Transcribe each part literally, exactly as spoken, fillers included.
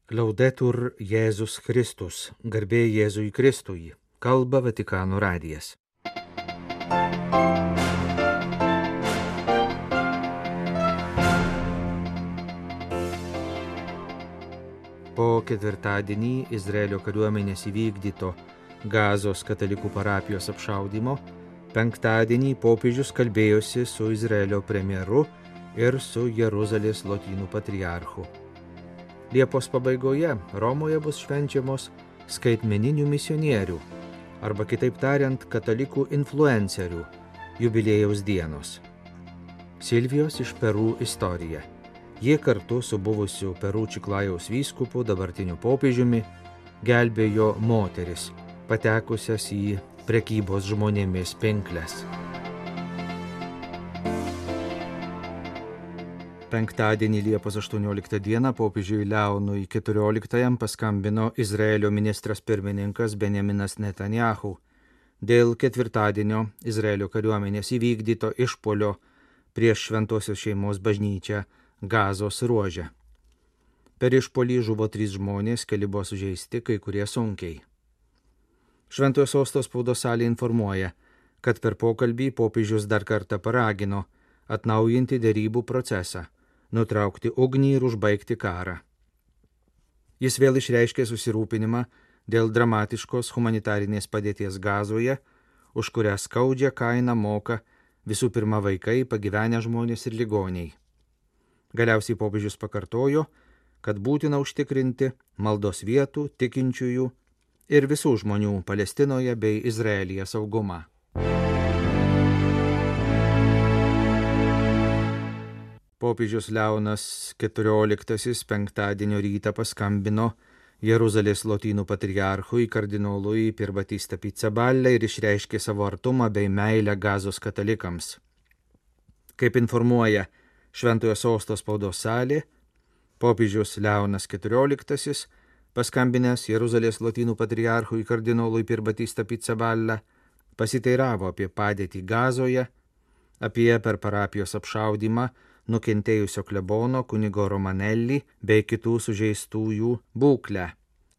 Laudetur Jėzus Kristus, garbė Jėzui Kristui, kalba Vatikano radijas. Po ketvirtadienį Izraelio kariuomenės įvykdyto Gazos katalikų parapijos apšaudymo, penktadienį popiežius kalbėjosi su Izraelio premjeru ir su Jeruzalės lotynų patriarchu. Liepos pabaigoje Romoje bus švenčiamos skaitmeninių misionierių, arba kitaip tariant, katalikų influencerių jubiliejaus dienos. Silvijos iš Peru istorija. Jie kartu su buvusiu Peru Čiklajaus vyskupu, dabartiniu popiežiumi, gelbėjo moteris, patekusias į prekybos žmonėmis pinkles. Penktadienį Liepos aštuonioliktą dieną popiežiui Leonui keturioliktajam paskambino Izraelio ministras pirmininkas Benjaminas Netanyahu dėl ketvirtadienio Izraelio kariuomenės įvykdyto išpuolio prieš Šventosios šeimos bažnyčią Gazos ruože. Per išpuolį žuvo trys žmonės, keli buvo sužeisti, kai kurie sunkiai. Šventojo sosto spaudos salė informuoja, kad per pokalbį popiežius dar kartą paragino atnaujinti derybų procesą, nutraukti ugnį ir užbaigti karą. Jis vėl išreiškė susirūpinimą dėl dramatiškos humanitarinės padėties Gazoje, už kurią skaudžią kainą moka visų pirma vaikai, pagyvenę žmonės ir ligoniai. Galiausiai popiežius pakartojo, kad būtina užtikrinti maldos vietų, tikinčiųjų ir visų žmonių Palestinoje bei Izraelyje saugumą. Popiežius Leonas keturioliktasis penktadienio rytą paskambino Jeruzalės lotynų patriarchui kardinolui Pierbatista Pizzaballa ir išreiškė savo artumą bei meilę Gazos katalikams. Kaip informuoja Šventojo sosto spaudos salė, popiežius Leonas keturioliktasis, paskambinęs Jeruzalės lotynų patriarchui kardinolui Pierbatista Pizzaballa, pasiteiravo apie padėtį Gazoje, apie per parapijos apšaudymą nukentėjusio klebono kunigo Romanelli bei kitų sužeistųjų būklę.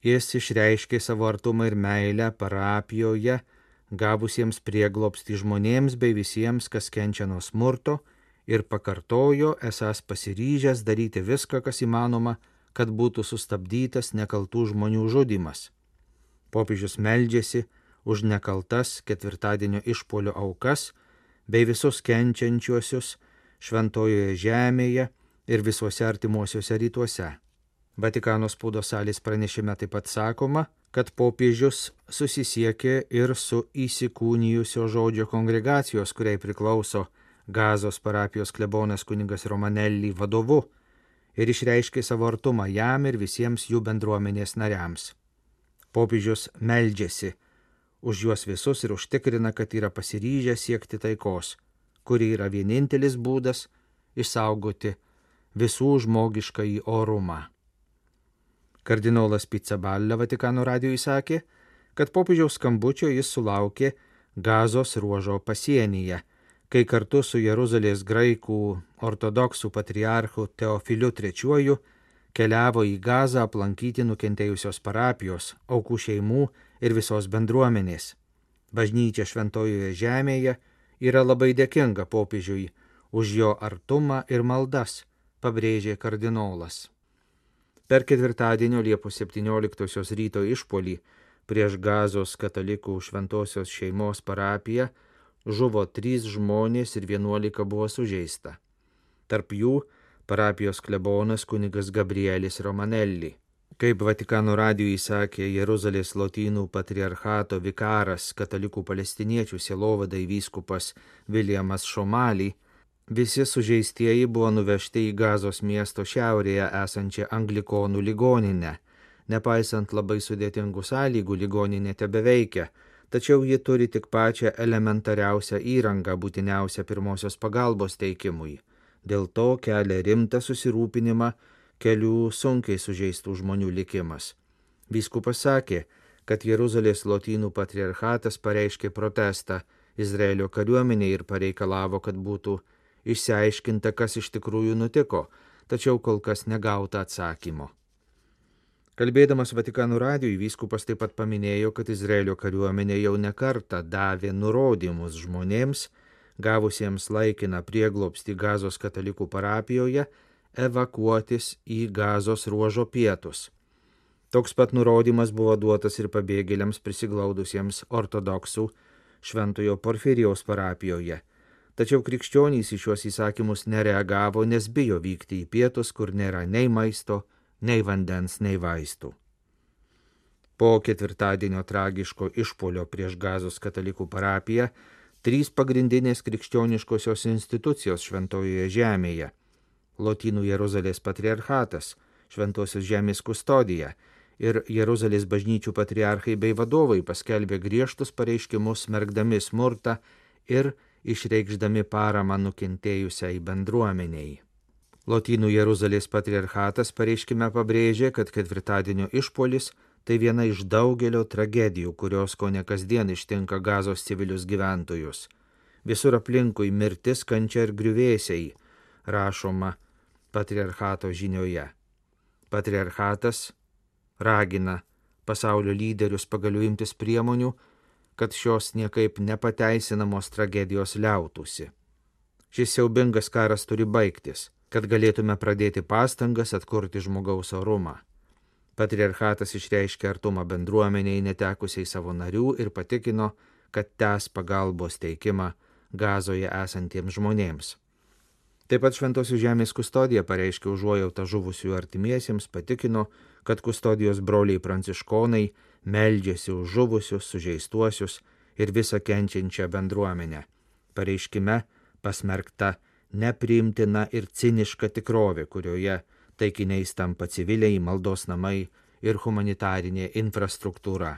Jis išreiškė savo artumą ir meilę parapijoje gavusiems prieglobstį žmonėms bei visiems, kas kenčia nuo smurto, ir pakartojo, esąs pasiryžęs daryti viską, kas įmanoma, kad būtų sustabdytas nekaltų žmonių žudymas. Popiežius meldžiasi už nekaltas ketvirtadienio išpuolio aukas bei visus kenčiančiuosius Šventojoje žemėje ir visuose artimuosiuose rytuose. Vatikano spaudos salės pranešime taip pat sakoma, kad popiežius susisiekė ir su įsikūnijusio žodžio kongregacijos, kuriai priklauso Gazos parapijos klebonas kunigas Romanelli vadovu, ir išreiškė savo artumą jam ir visiems jų bendruomenės nariams. Popiežius meldžiasi už juos visus ir užtikrina, kad yra pasiryžę siekti taikos, kuri yra vienintelis būdas išsaugoti visų žmogiškąjį orumą. Kardinolas Pizzaballa Vatikano radijui sakė, kad popiežiaus skambučio jis sulaukė Gazos ruožo pasienyje, kai kartu su Jeruzalės graikų ortodoksų patriarchu Teofiliu trečiuoju keliavo į Gazą aplankyti nukentėjusios parapijos, aukų šeimų ir visos bendruomenės. Bažnyčia Šventojoje žemėje yra labai dėkinga popiežiui už jo artumą ir maldas, pabrėžė kardinolas. Per ketvirtadienio Liepos septynioliktosios ryto išpuolį prieš Gazos katalikų Šventosios šeimos parapiją žuvo trys žmonės ir vienuolika buvo sužeista. Tarp jų parapijos klebonas kunigas Gabrielis Romanelli. Kaip Vatikano radijui sakė Jeruzalės lotynų patriarchato vikaras katalikų palestiniečių sielovadai vyskupas Viljamas Šomali, visi sužeistieji buvo nuvežti į Gazos miesto šiaurėje esančią anglikonų ligoninę. Nepaisant labai sudėtingų sąlygų, ligoninė tebeveikia, tačiau ji turi tik pačią elementariausią įrangą būtiniausią pirmosios pagalbos teikimui. Dėl to kelia rimtą susirūpinimą kelių sunkiai sužeistų žmonių likimas. Vyskupas sakė, kad Jeruzalės lotynų patriarchatas pareiškė protestą Izraelio kariuomenei ir pareikalavo, kad būtų išsiaiškinta, kas iš tikrųjų nutiko, tačiau kol kas negauta atsakymo. Kalbėdamas Vatikano radijui, vyskupas taip pat paminėjo, kad Izraelio kariuomenė jau nekartą davė nurodymus žmonėms, gavusiems laikiną prieglobstį Gazos katalikų parapijoje, evakuotis į Gazos ruožo pietus. Toks pat nurodymas buvo duotas ir pabėgėliams prisiglaudusiems ortodoksų Šventojo Porfirijaus parapijoje. Tačiau krikščionys į šiuos įsakymus nereagavo, nes bijo vykti į pietus, kur nėra nei maisto, nei vandens, nei vaistų. Po ketvirtadienio tragiško išpuolio prieš Gazos katalikų parapiją, trys pagrindinės krikščioniškosios institucijos Šventojoje žemėje – Lotynų Jeruzalės patriarchatas, Šventosios žemės kustodija ir Jeruzalės bažnyčių patriarchai bei vadovai paskelbė griežtus pareiškimus smerkdami smurtą ir išreikšdami paramą nukentėjusiai bendruomeniai. Lotynų Jeruzalės patriarchatas pareiškime pabrėžė, kad ketvirtadienio išpuolis tai viena iš daugelio tragedijų, kurios kone kasdien ištinka Gazos civilius gyventojus. Visur aplinkui mirtis, kančia ir griuvėsiai, rašoma patriarchato žinioje. Patriarchatas ragina pasaulio lyderius pagaliau imtis priemonių, kad šios niekaip nepateisinamos tragedijos liautųsi. Šis siaubingas karas turi baigtis, kad galėtume pradėti pastangas atkurti žmogaus orumą. Patriarchatas išreiškė artumą bendruomeniai netekusiai savo narių ir patikino, kad tęs pagalbos teikimą Gazoje esantiems žmonėms. Taip pat Šventosios žemės kustodija pareiškė užuojautą žuvusių artimiesiems, patikino, kad kustodijos broliai pranciškonai meldžiasi už žuvusius, sužeistuosius ir visą kenčiančią bendruomenę. Pareiškime pasmerkta nepriimtina ir ciniška tikrovė, kurioje taikiniais tampa civiliai, maldos namai ir humanitarinė infrastruktūra.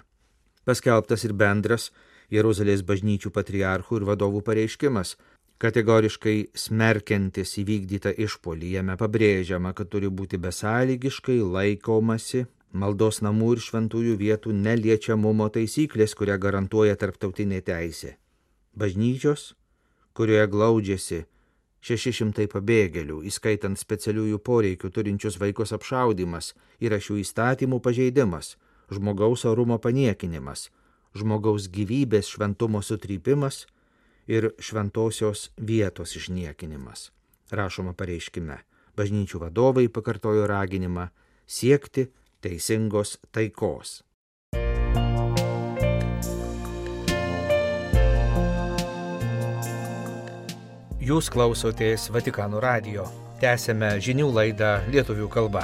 Paskelbtas ir bendras Jeruzalės bažnyčių patriarchų ir vadovų pareiškimas, kategoriškai smerkiantis įvykdytą išpuolį. Jame pabrėžiama, kad turi būti besąlygiškai laikomasi maldos namų ir šventųjų vietų neliečiamumo taisyklės, kurią garantuoja tarptautinė teisė. Bažnyčios, kurioje glaudžiasi šeši šimtai pabėgėlių, įskaitant specialiųjų poreikių turinčius vaikus apšaudimas, yra šių įstatymų pažeidimas, žmogaus orumo paniekinimas, žmogaus gyvybės šventumo sutrypimas ir šventosios vietos išniekinimas. Rašoma pareiškime. Bažnyčių vadovai pakartojo raginimą siekti teisingos taikos. Jūs klausotės Vatikano radijo. Tęsėme žinių laidą lietuvių kalba.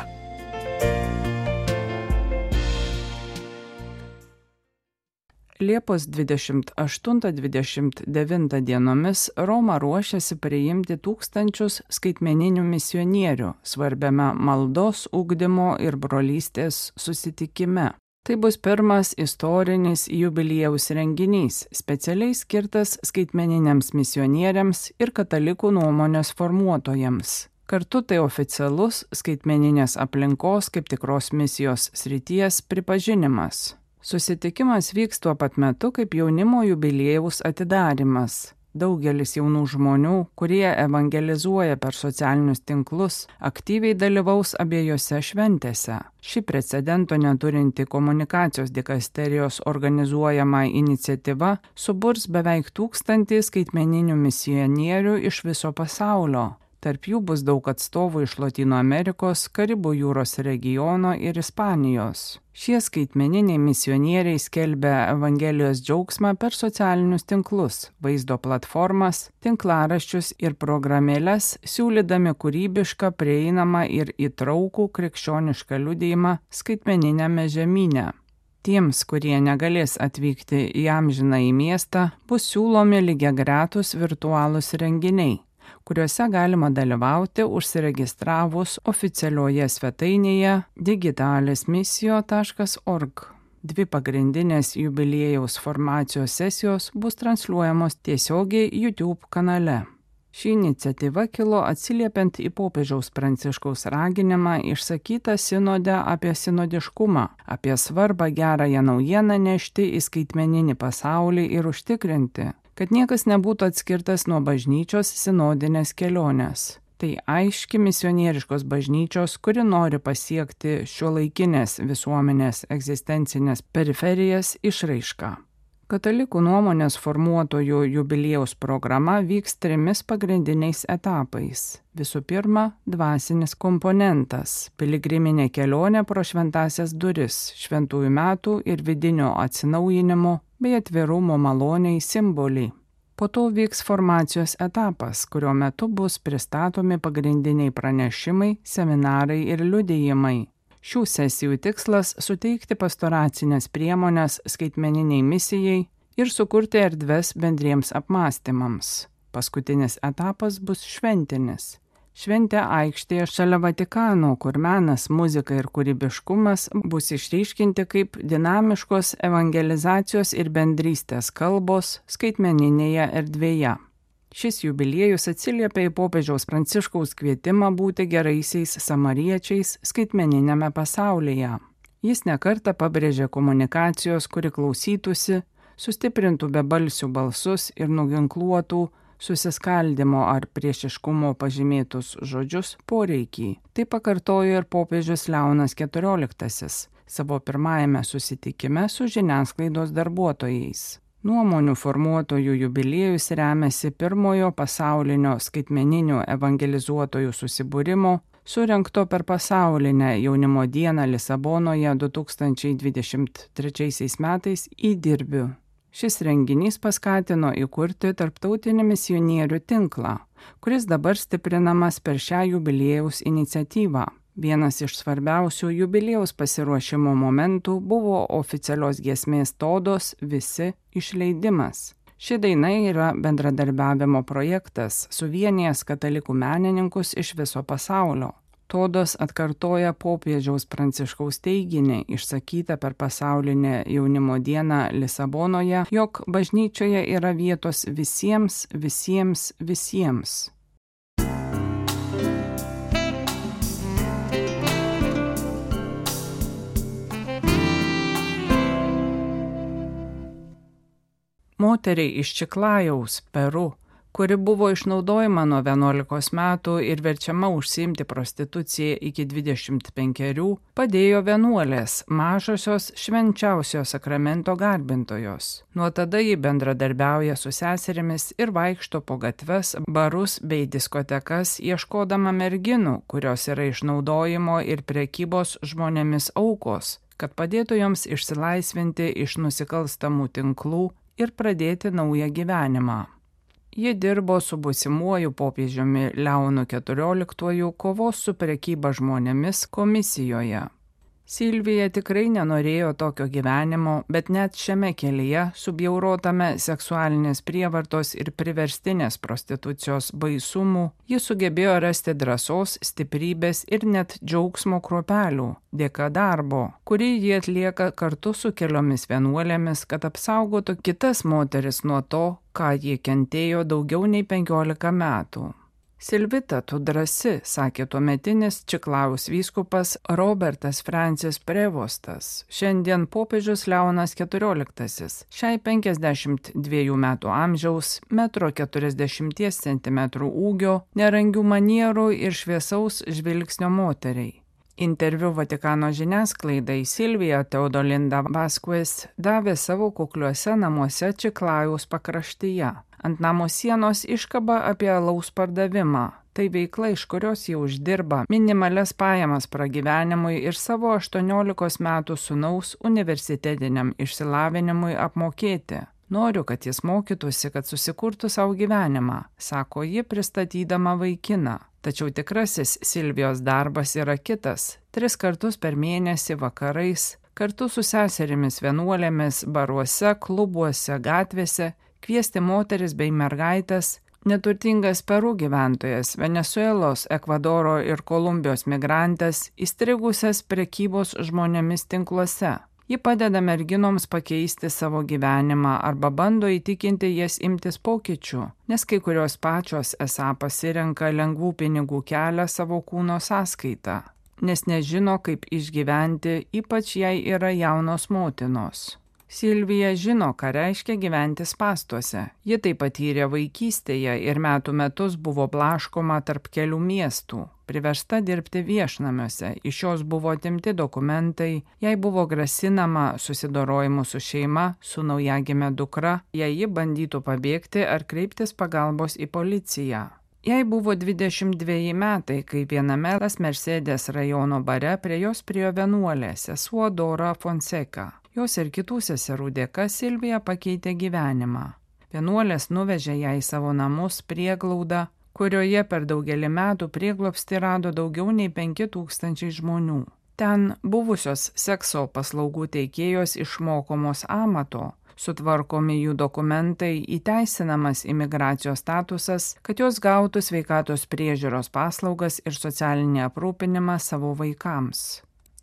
Liepos dvidešimt aštuntą dvidešimt devintą dienomis Roma ruošiasi priimti tūkstančius skaitmeninių misionierių svarbiame maldos, ugdymo ir brolystės susitikime. Tai bus pirmas istorinis jubiliejaus renginys, specialiai skirtas skaitmeniniams misionieriams ir katalikų nuomonės formuotojams. Kartu tai oficialus skaitmeninės aplinkos kaip tikros misijos srities pripažinimas. Susitikimas vyks tuo pat metu kaip jaunimo jubiliejaus atidarymas. Daugelis jaunų žmonių, kurie evangelizuoja per socialinius tinklus, aktyviai dalyvaus abiejose šventėse. Ši precedento neturinti komunikacijos dikasterijos organizuojama iniciatyva suburs beveik tūkstantį skaitmeninių misionierių iš viso pasaulio. Tarp jų bus daug atstovų iš Lotynų Amerikos, Karibų jūros regiono ir Ispanijos. Šie skaitmeniniai misionieriai skelbia Evangelijos džiaugsmą per socialinius tinklus, vaizdo platformas, tinklaraščius ir programėles, siūlydami kūrybišką, prieinamą ir įtraukų krikščionišką liudijimą skaitmeniniame žemyne. Tiems, kurie negalės atvykti į amžinąjį miestą, bus siūlomi lygiagretūs virtualūs renginiai, kuriuose galima dalyvauti užsiregistravus oficialioje svetainėje digitalismisio taškas org. Dvi pagrindinės jubiliejaus formacijos sesijos bus transliuojamos tiesiogiai YouTube kanale. Ši iniciatyva kilo atsiliepiant į popiežiaus Pranciškaus raginimą išsakytą sinode apie sinodiškumą, apie svarbą gerąją naujieną nešti į skaitmeninį pasaulį ir užtikrinti, kad niekas nebūtų atskirtas nuo bažnyčios sinodinės kelionės. Tai aiški misionieriškos bažnyčios, kuri nori pasiekti šiuolaikinės visuomenės egzistencinės periferijas išraišką. Katalikų nuomonės formuotojų jubiliejaus programa vyks trimis pagrindiniais etapais. Visų pirma, dvasinis komponentas – piligriminė kelionė pro šventąsias duris, šventųjų metų ir vidinio atsinaujinimo bei atvirumo maloniai simboliai. Po to vyks formacijos etapas, kurio metu bus pristatomi pagrindiniai pranešimai, seminarai ir liudijimai. Šių sesijų tikslas – suteikti pastoracinės priemonės skaitmeniniai misijai ir sukurti erdves bendriems apmąstymams. Paskutinis etapas bus šventinis. Šventė aikštėje šalia Vatikano, kur menas, muzika ir kūrybiškumas bus išryškinti kaip dinamiškos evangelizacijos ir bendrystės kalbos skaitmeninėje erdvėje. Šis jubiliejus atsiliepia į popiežiaus Pranciškaus kvietimą būti geraisiais samariečiais skaitmeniniame pasaulyje. Jis nekartą pabrėžė komunikacijos, kuri klausytųsi, sustiprintų bebalsių balsus ir nuginkluotų susiskaldimo ar priešiškumo pažymėtus žodžius poreikį. Tai pakartojo ir popiežius Leonas keturioliktasis savo pirmajame susitikime su žiniasklaidos darbuotojais. Nuomonių formuotojų jubiliejus remiasi pirmojo pasaulinio skaitmeninių evangelizuotojų susibūrimo, surengto per pasaulinę jaunimo dieną Lisabonoje du tūkstančiai dvidešimt trečiaisiais metais įdirbiu. Šis renginys paskatino įkurti tarptautinį misionierių tinklą, kuris dabar stiprinamas per šią jubiliejaus iniciatyvą. Vienas iš svarbiausių jubiliejaus pasiruošimo momentų buvo oficialios giesmės Todos visi išleidimas. Ši daina yra bendradarbiavimo projektas, suvienijęs katalikų menininkus iš viso pasaulio. Todos atkartoja popiežiaus Pranciškaus teiginį, išsakytą per pasaulinę jaunimo dieną Lisabonoje, jog bažnyčioje yra vietos visiems, visiems, visiems. Moteriai iš Čiklajaus, Peru, kuri buvo išnaudojama nuo vienuolikos metų ir verčiama užsiimti prostituciją iki dvidešimt penkerių, padėjo vienuolės, mažosios švenčiausio sakramento garbintojos. Nuo tada ji bendradarbiauja su seserimis ir vaikšto po gatves, barus bei diskotekas, ieškodama merginų, kurios yra išnaudojimo ir prekybos žmonėmis aukos, kad padėtų joms išsilaisvinti iš nusikalstamų tinklų ir pradėti naują gyvenimą. Ji dirbo su būsimuoju popiežiumi Leonu keturioliktuoju kovos su prekyba žmonėmis komisijoje. Silvija tikrai nenorėjo tokio gyvenimo, bet net šiame kelyje, subjaurotame seksualinės prievartos ir priverstinės prostitucijos baisumų, ji sugebėjo rasti drąsos, stiprybės ir net džiaugsmo kruopelių, dėka darbo, kurį ji atlieka kartu su keliomis vienuolėmis, kad apsaugotų kitas moteris nuo to, ką ji kentėjo daugiau nei penkiolika metų. Silvita, tu drąsi, sakė tuometinis Čiklajaus vyskupas Robertas Francis Prevostas, šiandien popiežius Leonas keturioliktasis, šiai penkiasdešimt dviejų metų amžiaus, metro keturiasdešimties centimetrų ūgio, nerangių manierų ir šviesaus žvilgsnio moteriai. Interviu Vatikano žiniasklaidai Silvija Teodolinda Vasquez davė savo kukliuose namuose Čiklajaus pakraštyje. Ant namo sienos iškaba apie alaus pardavimą. Tai veikla, iš kurios jie uždirba minimalias pajamas pragyvenimui ir savo aštuoniolikos metų sūnaus universitetiniam išsilavinimui apmokėti. Noriu, kad jis mokytųsi, kad susikurtų savo gyvenimą, sako ji pristatydama vaikiną. Tačiau tikrasis Silvijos darbas yra kitas. Tris kartus per mėnesį vakarais, kartu su seserimis vienuolėmis, baruose, klubuose, gatvėse, kviesti moteris bei mergaitės, neturtingas Peru gyventojas, Venesuelos, Ekvadoro ir Kolumbijos migrantas, įstrigusias prekybos žmonėmis tinkluose. Ji padeda merginoms pakeisti savo gyvenimą arba bando įtikinti jas imtis pokyčių, nes kai kurios pačios esą pasirenka lengvų pinigų kelią savo kūno sąskaitą, nes nežino, kaip išgyventi, ypač jei yra jaunos motinos. Silvija žino, ką reiškia gyventi spąstuose. Ji tai patyrė vaikystėje ir metų metus buvo blaškoma tarp kelių miestų, priversta dirbti viešnamiuose, iš jos buvo atimti dokumentai, jai buvo grasinama susidorojimu su šeima, su naujagime dukra, jei ji bandytų pabėgti ar kreiptis pagalbos į policiją. Jai buvo dvidešimt dveji metai, kai viename Las Mercedes rajono bare prie jos priėjo vienuolė, sesuo Dora Fonseca. Jos ir kitų seserų dėka Silvija pakeitė gyvenimą. Vienuolės nuvežė ją į savo namus prieglaudą, kurioje per daugelį metų prieglobstį rado daugiau nei penki tūkstančiai žmonių. Ten buvusios sekso paslaugų teikėjos išmokomos amato, sutvarkomi jų dokumentai, įteisinamas imigracijos statusas, kad jos gautų sveikatos priežiūros paslaugas ir socialinį aprūpinimą savo vaikams.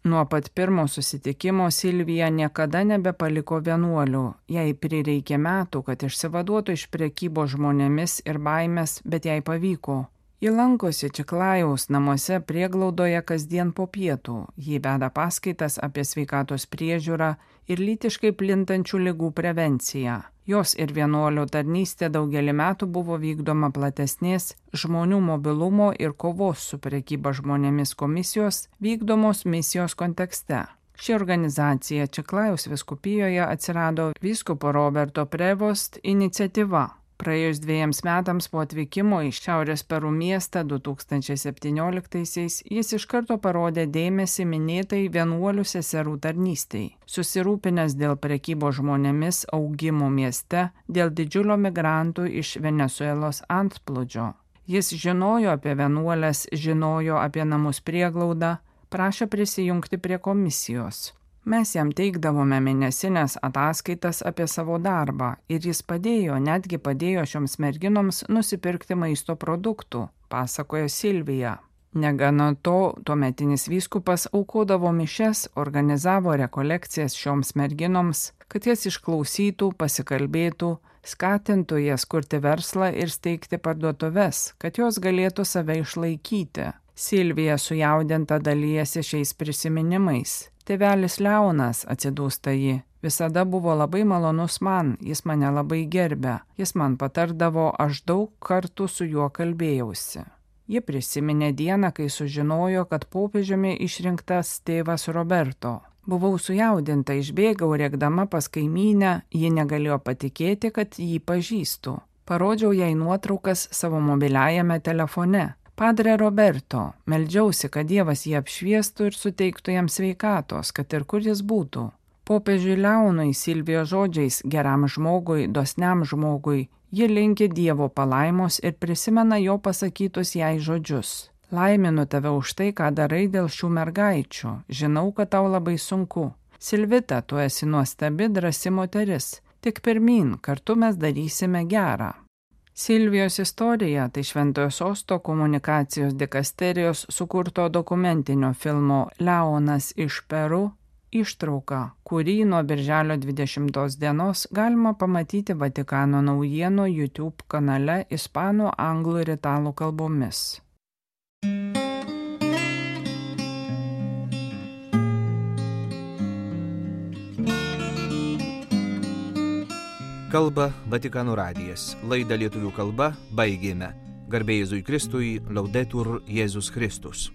Nuo pat pirmo susitikimo Silvija niekada nebepaliko vienuolių, jai prireikė metų, kad išsivaduotų iš prekybos žmonėmis ir baimės, bet jai pavyko. Ji lankosi Čiklajaus namuose prieglaudoje kasdien po pietų, ji veda paskaitas apie sveikatos priežiūrą ir lytiškai plintančių ligų prevenciją. Jos ir vienuolio tarnystė daugelį metų buvo vykdoma platesnės žmonių mobilumo ir kovos su prekyba žmonėmis komisijos vykdomos misijos kontekste. Ši organizacija Čiklajaus vyskupijoje atsirado vyskupo Roberto Prevost iniciatyva. Praėjus dviejams metams po atvykimo į Šiaurės Peru miestą du tūkstančiai septynioliktaisiais jis iš karto parodė dėmesį minėtai vienuolių seserų tarnystei. Susirūpinęs dėl prekybos žmonėmis augimo mieste, dėl didžiulio migrantų iš Venesuelos antplūdžio. Jis žinojo apie vienuolės, žinojo apie namus prieglaudą, prašė prisijungti prie komisijos. Mes jam teikdavome mėnesinės ataskaitas apie savo darbą ir jis padėjo, netgi padėjo šioms merginoms nusipirkti maisto produktų, pasakojo Silvija. Negana to, tuometinis vyskupas aukodavo mišias, organizavo rekolekcijas šioms merginoms, kad jas išklausytų, pasikalbėtų, skatintų jas kurti verslą ir steigti parduotuves, kad jos galėtų save išlaikyti. Silvija sujaudinta dalijasi šiais prisiminimais. Tėvelis Leonas, atsidūsta ji, visada buvo labai malonus man, jis mane labai gerbė, jis man patardavo, aš daug kartų su juo kalbėjausi. Ji prisiminė dieną, kai sužinojo, kad popiežiumi išrinktas tėvas Roberto. Buvau sujaudinta, išbėgau rėkdama pas kaimynę, ji negalėjo patikėti, kad jį pažįstu. Parodžiau jai nuotraukas savo mobiliajame telefone. Padre Roberto, meldžiausi, kad Dievas jį apšviestų ir suteiktų jam sveikatos, kad ir kur jis būtų. Popiežiui Leonui Silvijos žodžiais geram žmogui, dosniam žmogui, ji linki Dievo palaimos ir prisimena jo pasakytus jai žodžius. Laiminu tave už tai, ką darai dėl šių mergaičių. Žinau, kad tau labai sunku. Silvita, tu esi nuostabi, drąsi moteris. Tik pirmyn, kartu mes darysime gerą. Silvijos istorija tai Šventojo Sosto komunikacijos dikasterijos sukurto dokumentinio filmo Leonas iš Peru ištrauka, kurį nuo birželio dvidešimtos dienos galima pamatyti Vatikano naujienų YouTube kanale ispanų, anglų ir italų kalbomis. Kalba Vatikano radijas. Laidą lietuvių kalba baigėme. Garbė Jėzui Kristui, Laudetur Jėzus Kristus.